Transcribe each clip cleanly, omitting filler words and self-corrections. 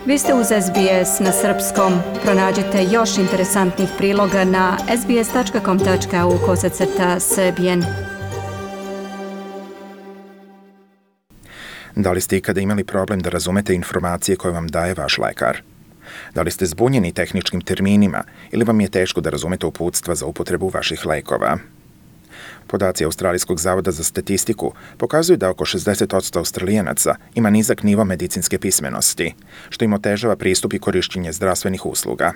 Vi ste uz SBS na srpskom. Pronađite još interesantnih priloga na sbs.com.au/srbijen. Da li ste ikada imali problem da razumete informacije koje vam daje vaš lekar? Da li ste zbunjeni tehničkim terminima ili vam je teško da razumete uputstva za upotrebu vaših lekova? Podaci Australijskog zavoda za statistiku pokazuju da oko 60% Australijanaca ima nizak nivo medicinske pismenosti, što im otežava pristup i korišćenje zdravstvenih usluga.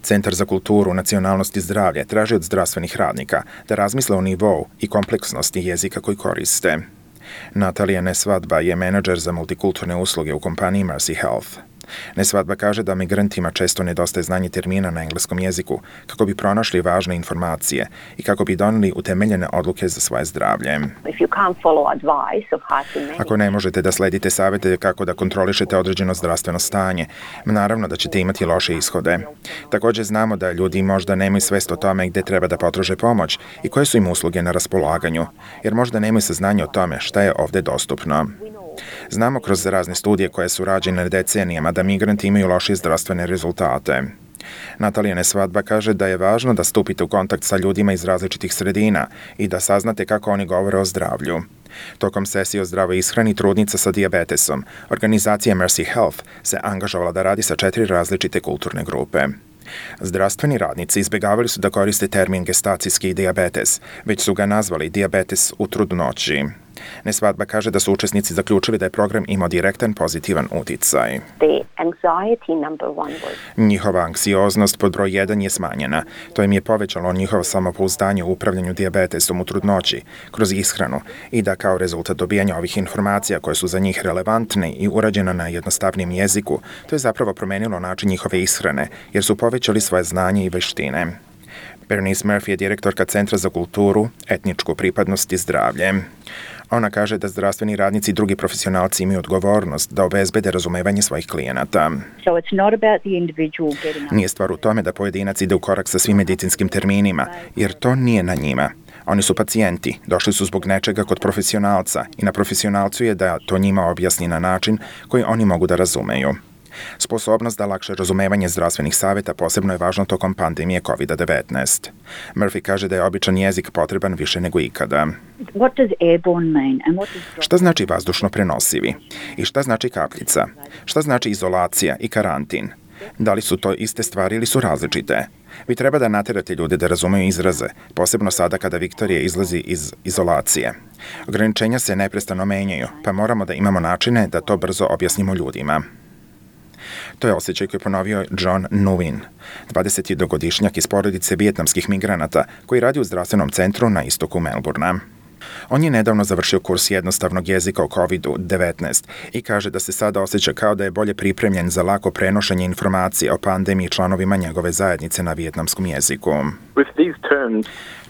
Centar za kulturu, nacionalnost i zdravlje traži od zdravstvenih radnika da razmisle o nivou i kompleksnosti jezika koji koriste. Natalija Nesvadba je menadžer za multikulturne usluge u kompaniji Mercy Health. Nesvadba kaže da migrantima često nedostaje znanje termina na engleskom jeziku kako bi pronašli važne informacije i kako bi doneli utemeljene odluke za svoje zdravlje. Ako ne možete da sledite savete kako da kontrolišete određeno zdravstveno stanje, naravno da ćete imati loše ishode. Također znamo da ljudi možda nemaju svest o tome gde treba da potraže pomoć i koje su im usluge na raspolaganju, jer možda nemaju saznanje o tome šta je ovde dostupno. Znamo kroz razne studije koje su rađene decenijama da migranti imaju lošije zdravstvene rezultate. Natalija Nesvadba kaže da je važno da stupite u kontakt sa ljudima iz različitih sredina i da saznate kako oni govore o zdravlju. Tokom sesije o zdravoj ishrani trudnica sa dijabetesom, organizacija Mercy Health se angažovala da radi sa 4 različite kulturne grupe. Zdravstveni radnici izbjegavali su da koriste termin gestacijski dijabetes, već su ga nazvali dijabetes u trudnoći. Nesvadba kaže da su učesnici zaključili da je program imao direktan pozitivan uticaj. Njihova anksioznost pod broj 1 je smanjena. To im je povećalo njihovo samopouzdanje u upravljanju dijabetesom u trudnoći kroz ishranu i da kao rezultat dobijanja ovih informacija koje su za njih relevantne i urađena na jednostavnijem jeziku, to je zapravo promenilo način njihove ishrane jer su povećali svoje znanje i veštine. Bernice Murphy je direktorka Centra za kulturu, etničku pripadnost i zdravlje. Ona kaže da zdravstveni radnici i drugi profesionalci imaju odgovornost da obezbede razumevanje svojih klijenata. Nije stvar u tome da pojedinac ide u korak sa svim medicinskim terminima, jer to nije na njima. Oni su pacijenti, došli su zbog nečega kod profesionalca i na profesionalcu je da to njima objasni na način koji oni mogu da razumeju. Sposobnost da lakše razumevanje zdravstvenih savjeta posebno je važno tokom pandemije COVID-19. Murphy kaže da je običan jezik potreban više nego ikada. Šta znači vazdušno prenosivi? I šta znači kapljica? Šta znači izolacija i karantin? Da li su to iste stvari ili su različite? Vi treba da naterate ljude da razumeju izraze, posebno sada kada Viktorija izlazi iz izolacije. Ograničenja se neprestano menjaju, pa moramo da imamo načine da to brzo objasnimo ljudima. To je osjećaj koji je ponovio John Nguyen, 22-godišnjak iz porodice vijetnamskih migranata koji radi u zdravstvenom centru na istoku Melbourna. On je nedavno završio kurs jednostavnog jezika o COVID-19 i kaže da se sada osjeća kao da je bolje pripremljen za lako prenošenje informacije o pandemiji članovima njegove zajednice na vijetnamskom jeziku.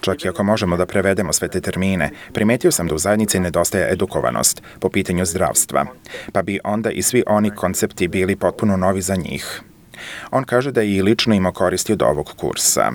Čak i ako možemo da prevedemo sve te termine, primetio sam da u zajednici nedostaje edukovanost po pitanju zdravstva, pa bi onda i svi oni koncepti bili potpuno novi za njih. On kaže da je i lično imao koristi od ovog kursa.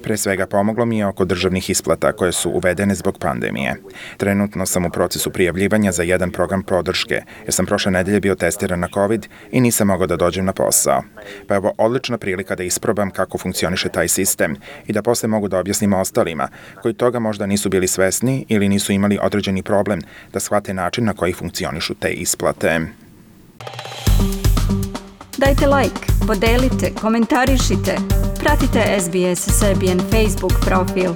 Pre svega pomoglo mi je oko državnih isplata koje su uvedene zbog pandemije. Trenutno sam u procesu prijavljivanja za jedan program podrške, jer sam prošle nedelje bio testiran na COVID i nisam mogao da dođem na posao. Pa je ovo odlična prilika da isprobam kako funkcioniše taj sistem i da posle mogu da objasnim ostalima, koji toga možda nisu bili svesni ili nisu imali određeni problem da shvate način na koji funkcionišu te isplate. Dajte like, podelite, komentarišite. Pratite SBS Serbian Facebook profil.